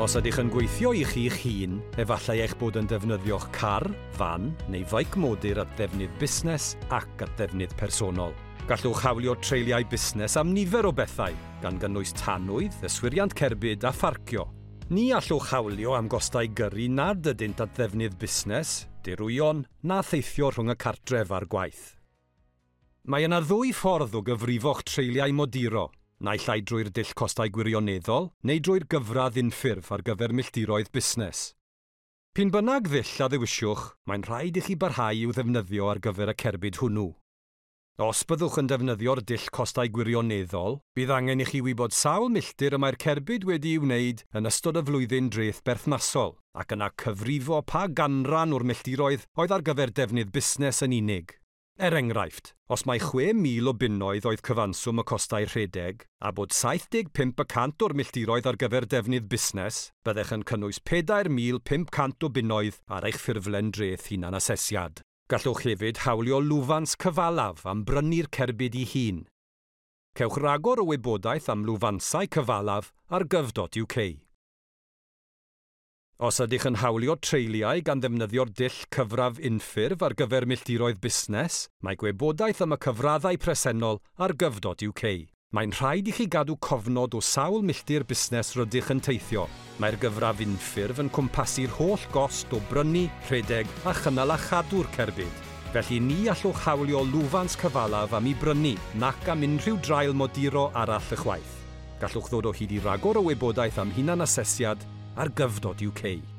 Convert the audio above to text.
Os ydych yn gweithio i chi'ch hun, efallai eich bod yn defnyddio'ch car, fan neu feic modur at ddefnydd busnes ac at ddefnydd personol. Gallwch hawlio treuliau busnes am nifer o bethau, gan gynnwys tanwydd, yswiriant cerbyd a pharcio. Ni allwch hawlio am gostau gyrru nad ydynt at ddefnydd busnes, dirwyon, na theithio rhwng y cartref a'r gwaith. Mae yna ddwy ffordd o gyfrifo'ch treuliau moduro, naill ai drwy'r dull costau gwirioneddol neu drwy'r gyfradd unffurf ar gyfer milltiroedd busnes. P'un bynnag ddull a ddewisiwch, mae'n rhaid i chi barhau i'w ddefnyddio ar gyfer y cerbyd hwnnw. Os byddwch yn defnyddio'r dull costau gwirioneddol, bydd angen i chi wybod sawl milltir y mae'r cerbyd wedi'i wneud yn ystod y flwyddyn dreth berthnasol, ac yna cyfrifo pa ganran o'r milltiroedd oedd ar gyfer defnydd busnes yn unig. Er enghraifft, os mai 6,000 o bunnoedd oedd cyfanswm y costau rhedeg, a bod 75% o'r milltiroedd ar gyfer defnydd busnes, byddech yn cynnwys 4,500 o bunnoedd ar eich ffurflen dreth hunanasesiad. Gallwch hefyd hawlio lwfans cyfalaf am brynu'r cerbyd ei hun. Cewch ragor o wybodaeth am lwfansau cyfalaf ar gov.uk. Os ydych yn hawlio treuliau gan ddefnyddio'r dull cyfradd unffurf ar gyfer milltiroedd busnes, mae gwybodaeth am y cyfraddau presennol ar gov.uk. Mae'n rhaid i chi gadw cofnod o sawl milltir busnes rydych yn teithio. Mae'r gyfradd unffurf yn cwmpasu'r holl gost o brynu, rhedeg a chynnal a chadw'r cerbyd. Felly ni allwch hawlio lwfans cyfalaf am ei brynu, nac am unrhyw draul moduro arall ychwaith. Gallwch ddod o hyd i ragor o wybodaeth am hunanasesiad ar gov.uk.